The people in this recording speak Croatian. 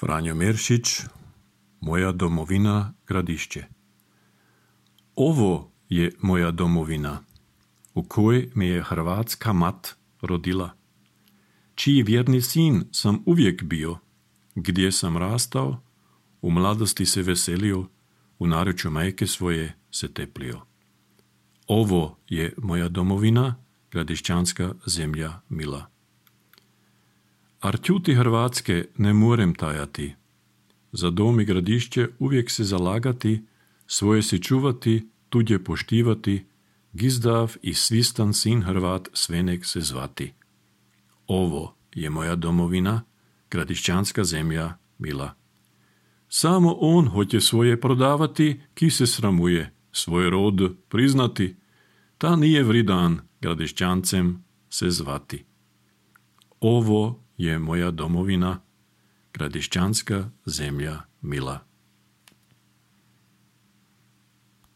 Franjo Meršić, Moja domovina, Gradišće. Ovo je moja domovina, u kojoj me je hrvatska mat rodila, čiji vjerni sin sam uvijek bio, gdje sam rastao, u mladosti se veselio, u naručju majke svoje se teplio. Ovo je moja domovina, gradišćanska zemlja mila. Arćuti Hrvatske ne morem tajati, za dom i gradišće uvijek se zalagati, svoje si čuvati, tuđe poštivati, gizdav i svistan sin Hrvat svenek se zvati. Ovo je moja domovina, gradišćanska zemlja mila. Samo on hoće svoje prodavati, ki se sramuje, svoj rod priznati, ta nije vridan gradišćancem se zvati. Ovo je moja domovina, gradišćanska zemlja mila.